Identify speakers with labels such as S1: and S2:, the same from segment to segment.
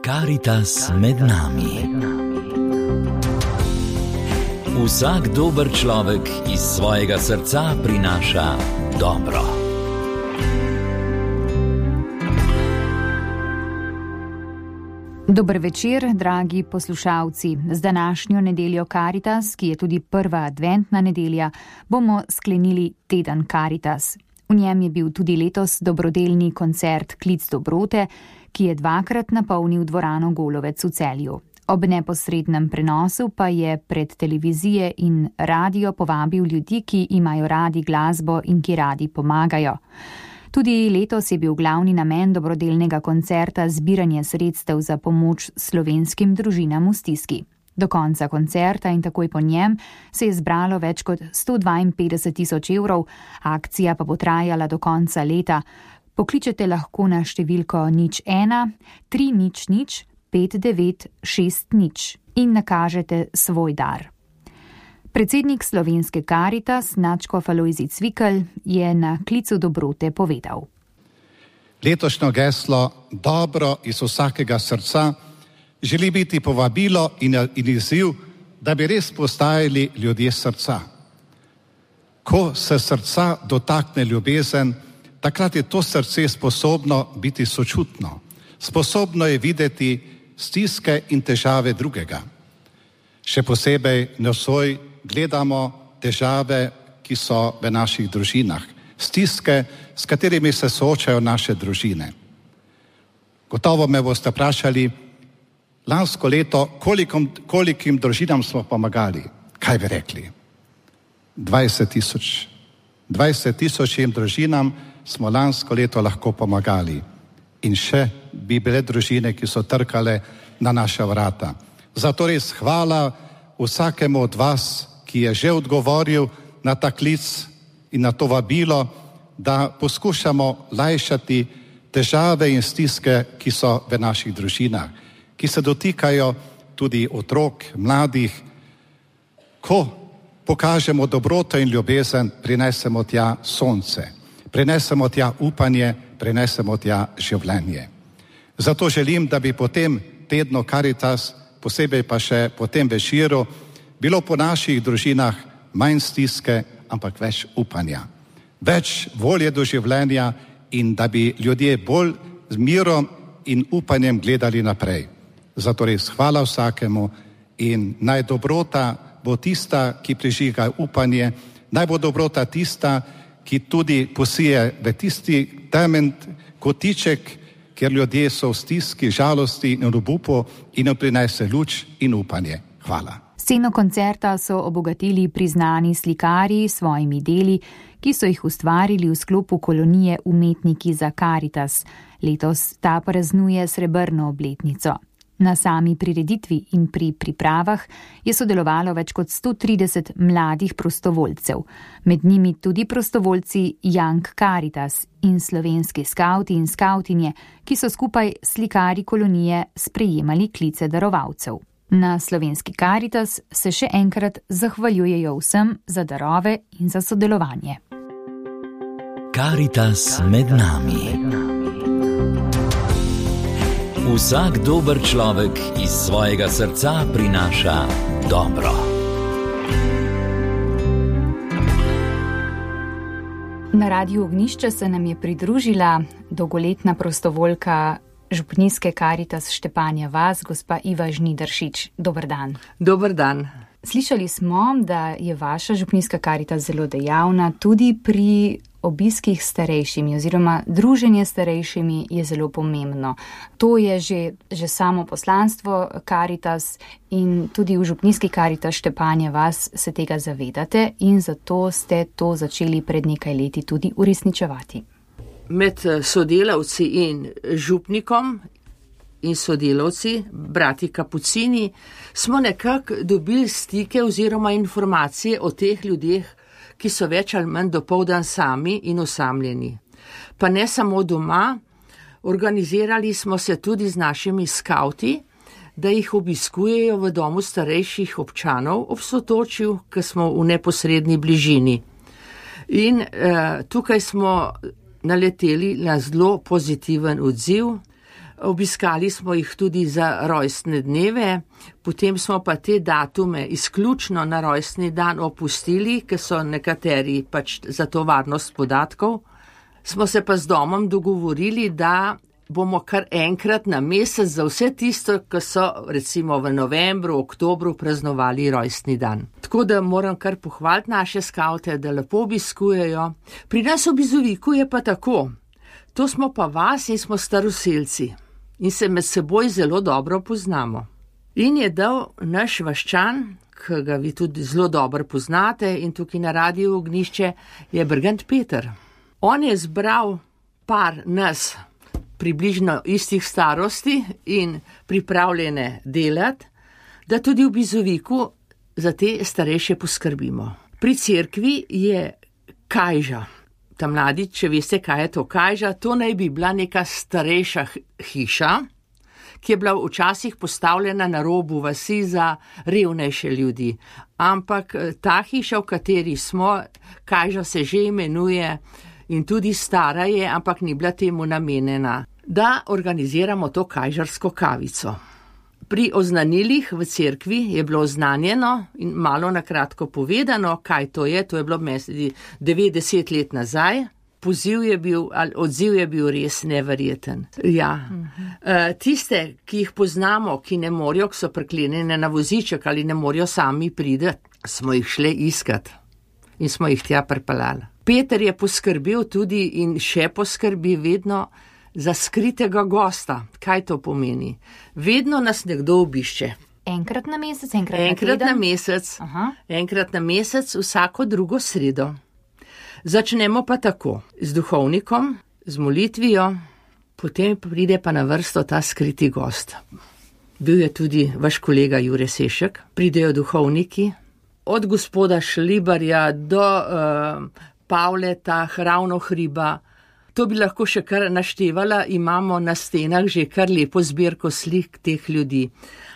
S1: Karitas med nami. Vsak dober človek iz svojega srca prinaša dobro.
S2: Dober večer, dragi poslušalci. Z današnjo nedeljo Karitas, ki je tudi prva adventna nedelja, bomo sklenili teden Karitas. V njem je bil tudi letos dobrodelni koncert Klic dobrote, ki je dvakrat napolnil dvorano Golovec v Celju. Ob neposrednem prenosu pa je pred televizije in radio povabil ljudi, ki imajo radi glasbo in ki radi pomagajo. Tudi letos je bil glavni namen dobrodelnega koncerta zbiranje sredstev za pomoč slovenskim družinam v stiski. Do konca koncerta in takoj po njem se je zbralo več kot 152.000 evrov, akcija pa bo trajala do konca leta. Pokličete lahko na številko 01 300 5960 in nakažete svoj dar. Predsednik slovenske Karitas, nadškof Alojzij Cvikl, je na Klicu dobrote povedal.
S3: Letošnjo geslo dobro iz vsakega srca želi biti povabilo in izziv, da bi res postajali ljudje srca. Ko se srca dotakne ljubezen, takrat je to srce sposobno biti sočutno. Sposobno je videti stiske in težave drugega. Še posebej nocoj gledamo težave, ki so v naših družinah. Stiske, s katerimi se soočajo naše družine. Gotovo me boste vprašali, lansko leto, kolikim družinam smo pomagali? Kaj bi rekli? 20.000. 20.000 družinam smo lansko leto lahko pomagali. In še bi bile družine, ki so trkale na naša vrata. Zato res hvala vsakemu od vas, ki je že odgovoril na ta klic in na to vabilo, da poskušamo lajšati težave in stiske, ki so v naših družinah, ki se dotikajo tudi otrok, mladih. Ko pokažemo dobroto in ljubezen, prinesemo tja sonce, prinesemo tja upanje, prinesemo tja življenje. Zato želim, da bi po tem tednu Karitas, posebej pa še po tem večeru, bilo po naših družinah manj stiske, ampak več upanja. Več volje do življenja in da bi ljudje bolj z mirom in upanjem gledali naprej. Zato res hvala vsakemu in naj dobrota bo tista, ki prižiga upanje, naj bo dobrota tista, ki tudi posije v tisti temen kotiček, kjer ljudje so v stiski, žalosti in obupu in jim prinese luč in upanje. Hvala.
S2: Sceno koncerta so obogatili priznani slikarji s svojimi deli, ki so jih ustvarili v sklopu kolonije Umetniki za Karitas. Letos ta praznuje srebrno obletnico. Na sami prireditvi in pri pripravah je sodelovalo več kot 130 mladih prostovoljcev. Med njimi tudi prostovoljci Young Karitas in slovenski skavti in skavtinje, ki so skupaj s slikarji kolonije sprejemali klice darovalcev. Na slovenski Karitas se še enkrat zahvaljujejo vsem za darove in za sodelovanje.
S1: Karitas med nami. Vsak dober človek iz svojega srca prinaša dobro.
S2: Na Radiu Ognjišče se nam je pridružila dolgoletna prostovoljka župnijske Karitas Štepanja vas, gospa Iva Žnidaršič. Dober dan.
S4: Dober dan.
S2: Slišali smo, da je vaša župnijska Karitas zelo dejavna tudi pri obiskih starejšimi oziroma druženje starejšimi je zelo pomembno. To je že samo poslanstvo Karitas in tudi v župnijski Karitas Štepanja vas se tega zavedate in zato ste to začeli pred nekaj leti tudi uresničevati.
S4: Med sodelavci in župnikom in sodelavci, brati Kapucini, smo nekako dobili stike oziroma informacije o teh ljudeh, ki so več ali manj dopoldan sami in osamljeni. Pa ne samo doma, organizirali smo se tudi z našimi skavti, da jih obiskujejo v domu starejših občanov ob Sotočju, ki smo v neposredni bližini. In tukaj smo naleteli na zelo pozitiven odziv. Obiskali smo jih tudi za rojstne dneve, potem smo pa te datume izključno na rojstni dan opustili, ker so nekateri pač za to varnost podatkov. Smo se pa z domom dogovorili, da bomo kar enkrat na mesec za vse tisto, ki so recimo v novembru, oktobru praznovali rojstni dan. Tako da moram kar pohvaliti naše skavte, da lepo obiskujejo. Pri nas v Bizoviku je pa tako. To smo pa vas in smo staroselci in se med seboj zelo dobro poznamo. In je dal naš vaščan, ki ga vi tudi zelo dobro poznate in tukaj na Radiu Ognjišče, je Brgant Peter. On je zbral par nas približno istih starosti in pripravljene delati, da tudi v Bizoviku za te starejše poskrbimo. Pri cerkvi je kajža. Ta mladi, če veste, kaj je to kajža, to naj bi bila neka starejša hiša, ki je bila včasih postavljena na robu vasi za revnejše ljudi. Ampak ta hiša, v kateri smo, kajža se že imenuje in tudi stara je, ampak ni bila temu namenjena, da organiziramo to kajžarsko kavico. Pri oznanilih v cerkvi je bilo oznanjeno in malo na kratko povedano, kaj to je bilo 90 let nazaj. Odziv je bil res neverjeten. Ja. Tiste, ki jih poznamo, ki ne morajo, ki so priklenjene na voziček ali ne morajo sami priti, smo jih šle iskat in smo jih tja pripeljali. Peter je poskrbel tudi in še poskrbi vedno za skritega gosta. Kaj to pomeni? Vedno nas nekdo obišče.
S2: Enkrat na mesec,
S4: enkrat na mesec, vsako drugo sredo. Začnemo pa tako, z duhovnikom, z molitvijo, potem pride pa na vrsto ta skriti gost. Bil je tudi vaš kolega Jure Sešek, pridejo duhovniki, od gospoda Šlibarja do Pavleta, Ravno Hriba. To bi lahko še kar naštevala, imamo na stenah že kar lepo zbirko slik teh ljudi.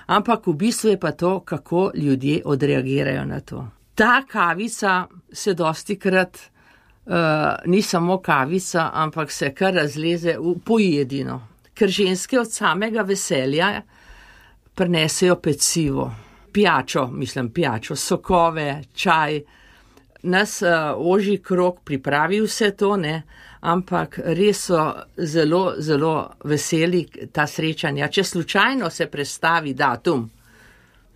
S4: Ampak v bistvu je pa to, kako ljudje odreagirajo na to. Ta kavica se dostikrat ni samo kavica, ampak se kar razleze v pojedino. Ker ženske od samega veselja prinesejo pecivo, pijačo, sokove, čaj. Nas ožji krog pripravi vse to, ne? Ampak res so zelo, zelo veseli ta srečanja. Če slučajno se prestavi datum,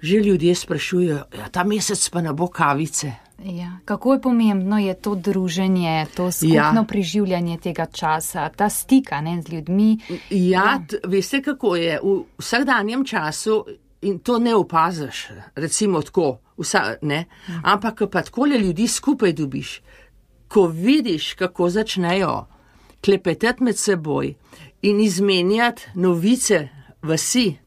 S4: že ljudje sprašujejo, ta mesec pa ne bo kavice.
S2: Ja, kako je pomembno je to druženje, to skupno preživljanje tega časa, ta stika, ne, z ljudmi.
S4: Ja, veste, kako je v vsakdanjem času in to ne opaziš, recimo tako, ampak pa takole ljudi skupaj dobiš. Ko vidiš, kako začnejo klepetati med seboj in izmenjati novice vasi,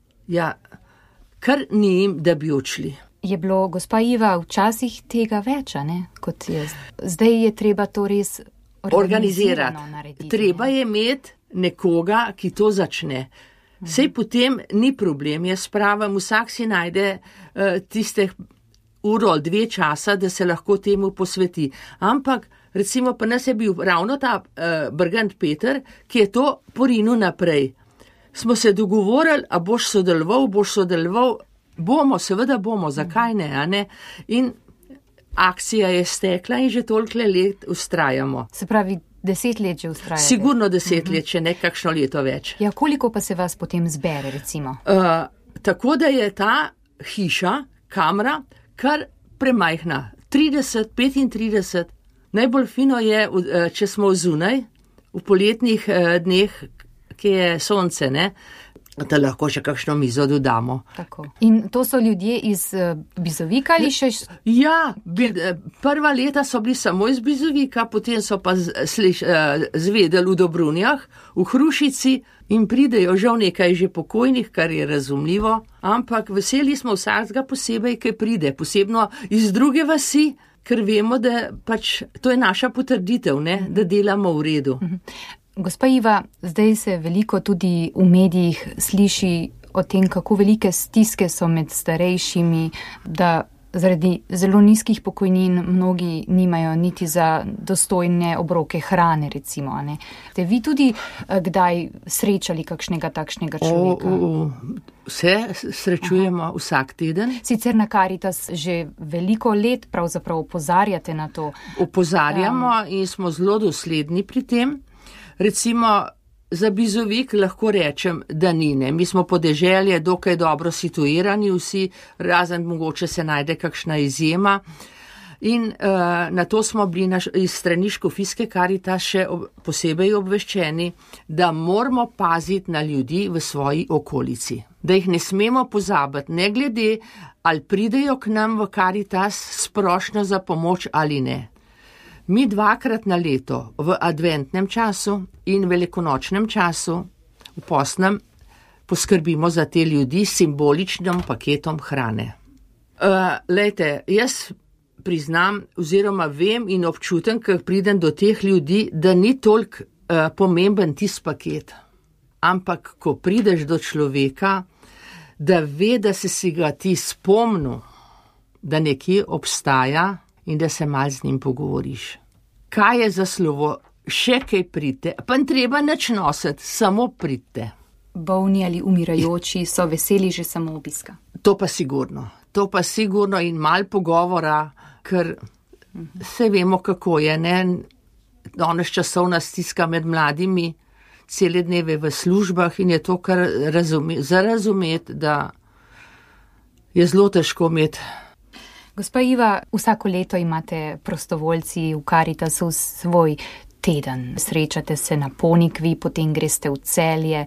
S4: kar ni jim, da bi odšli.
S2: Je bilo, gospa Iva, včasih tega več, ne, kot je. Zdaj je treba to res organizirano narediti.
S4: Treba je imeti nekoga, ki to začne. Sej potem ni problem, jaz pravim, vsak si najde tiste uro ali 2 časa, da se lahko temu posveti. Ampak recimo pa nas je bil ravno ta Brgant Peter, ki je to porinil naprej. Smo se dogovorili, a boš sodeloval, seveda bomo, zakaj ne, a ne? In akcija je stekla in že toliko let vztrajamo.
S2: Se pravi, 10 let že vztrajate?
S4: Sigurno 10 let, če ne kakšno leto več.
S2: Ja, koliko pa se vas potem zbere, recimo?
S4: Tako da je ta hiša, kamra, kar premajhna. 30, 35. Najbolj fino je, če smo zunaj, v poletnih dneh, ki je sonce, ne, da lahko še kakšno mizo dodamo.
S2: Tako. In to so ljudje iz Bizovika ali še?
S4: Ja, prva leta so bili samo iz Bizovika, potem so pa zvedeli v Dobrunjah, v Hrušici in pridejo žal nekaj že pokojnih, kar je razumljivo, ampak veseli smo vsakega posebej, ki pride, posebno iz druge vasi, ker vemo, da pač to je naša potrditev, ne, da delamo v redu.
S2: Gospa Iva, zdaj se veliko tudi v medijih sliši o tem, kako velike stiske so med starejšimi, da Zaradi zelo nizkih pokojnin mnogi nimajo niti za dostojne obroke hrane, recimo. Ne? Ste vi tudi kdaj srečali kakšnega takšnega človeka?
S4: Vse srečujemo vsak teden.
S2: Sicer na Karitas že veliko let pravzaprav opozarjate na to.
S4: Opozarjamo in smo zelo dosledni pri tem. Recimo, za Bizovik lahko rečem, da ni, ne. Mi smo podeželje dokaj dobro situirani vsi, razen mogoče se najde kakšna izjema. In na to smo bili iz strani Škofijske Karitas še posebej obveščeni, da moramo paziti na ljudi v svoji okolici. Da jih ne smemo pozabiti, ne glede, ali pridejo k nam v Karitas sprošno za pomoč ali ne. Mi 2-krat na leto, v adventnem času in velikonočnem času, v postnem, poskrbimo za te ljudi s simboličnim paketom hrane. Lejte, jaz priznam oziroma vem in občutem, ko pridem do teh ljudi, da ni toliko pomemben tisti paket. Ampak, ko prideš do človeka, da ve, da si ga ti spomnil, da nekje obstaja in da se malo z njim pogovoriš. Kaj je za slovo? Še kaj pridite, pa ne treba nič nositi, samo pridite.
S2: Bolni ali umirajoči so veseli že samo obiska.
S4: To pa sigurno in malo pogovora, ker se vemo, kako je, ne? Danes časovna stiska med mladimi, cele dneve v službah in je to, kar za razumeti, da je zelo težko imeti.
S2: Gospa Iva, vsako leto imate prostovoljci v Karitasu svoj teden. Srečate se na Ponikvi, potem greste v Celje,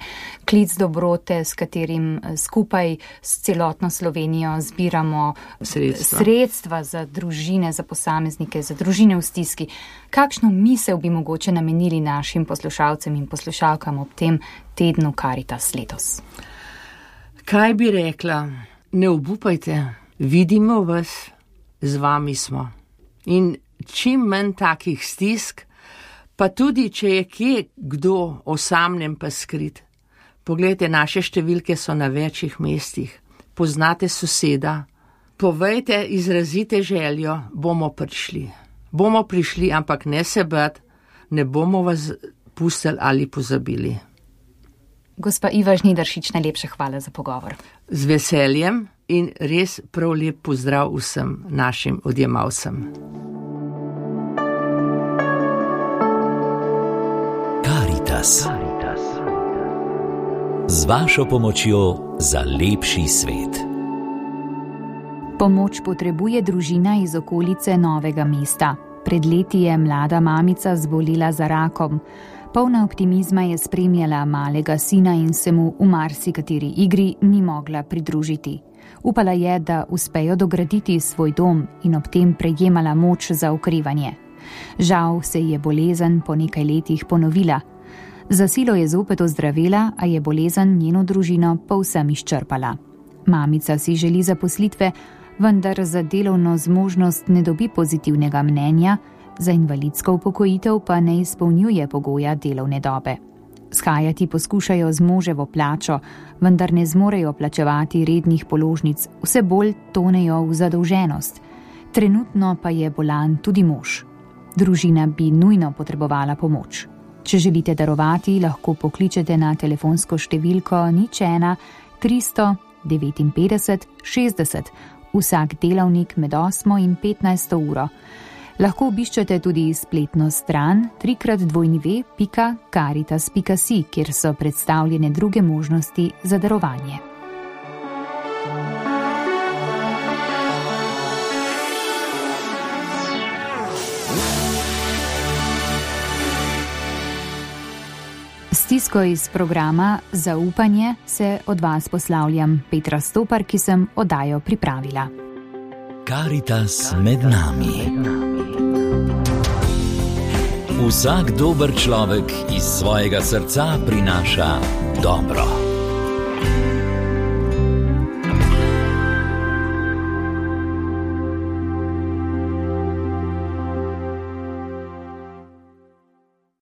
S2: klic dobrote, s katerim skupaj s celotno Slovenijo zbiramo sredstva za družine, za posameznike, za družine v stiski. Kakšno misel bi mogoče namenili našim poslušalcem in poslušalkam ob tem tednu Karitas letos?
S4: Kaj bi rekla? Ne obupajte, vidimo vas, z vami smo. In čim manj takih stisk, pa tudi, če je kje kdo osamljen pa skrit. Poglejte, naše številke so na večjih mestih. Poznate soseda. Povejte, izrazite željo, bomo prišli. Bomo prišli, ampak ne se bati, ne bomo vas pustili ali pozabili.
S2: Gospa Iva Žnidaršič, najlepša hvala za pogovor.
S4: Z veseljem in res prav lep pozdrav vsem našim odjemalcem.
S1: Karitas. Z vašo pomočjo za lepši svet.
S2: Pomoč potrebuje družina iz okolice Novega mesta. Pred leti je mlada mamica zbolela za rakom. Polna optimizma je spremljala malega sina in se mu v marsikateri igri ni mogla pridružiti. Upala je, da uspejo dograditi svoj dom in ob tem prejemala moč za okrevanje. Žal se je bolezen po nekaj letih ponovila. Za silo je zopet ozdravela, a je bolezen njeno družino povsem izčrpala. Mamica si želi zaposlitve, vendar za delovno zmožnost ne dobi pozitivnega mnenja, za invalidsko upokojitev pa ne izpolnjuje pogoja delovne dobe. Shajati poskušajo z moževo plačo, vendar ne zmorejo plačevati rednih položnic, vse bolj tonejo v zadolženost. Trenutno pa je bolan tudi mož. Družina bi nujno potrebovala pomoč. Če želite darovati, lahko pokličete na telefonsko številko 01 359 60, vsak delavnik med 8 in 15 uro. Lahko obiščete tudi spletno stran www.caritas.si, kjer so predstavljene druge možnosti za darovanje. Stisko iz programa Zaupanje se od vas poslavljam, Petra Stopar, ki sem oddajo pripravila.
S1: Karitas med nami. Vsak dober človek iz svojega srca prinaša dobro.